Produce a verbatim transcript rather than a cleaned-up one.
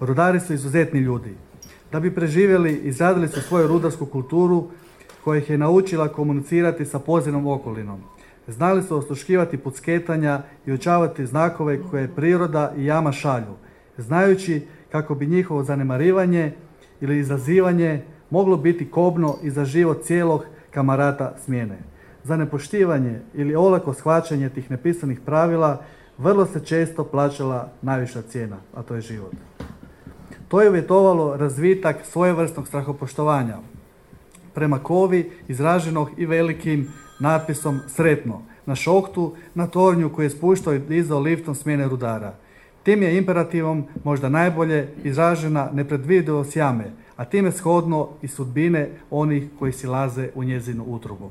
Rudari su izuzetni ljudi. Da bi preživjeli, izradili su svoju rudarsku kulturu koja ih je naučila komunicirati sa podzemnom okolinom. Znali su osluškivati pucketanja i učavati znakove koje priroda i jama šalju, znajući kako bi njihovo zanemarivanje ili izazivanje moglo biti kobno i za život cijelog kamarata smjene. Za nepoštivanje ili olako shvaćanje tih nepisanih pravila vrlo se često plaćala najviša cijena, a to je život. To je uvjetovalo razvitak svojevrsnog strahopoštovanja prema kovi izraženog i velikim natpisom sretno na šoktu, na tornju koji je spuštao i dizao liftom smjene rudara. Tim je imperativom možda najbolje izražena nepredvidivost jame, a time shodno i sudbine onih koji silaze u njezinu utrobu.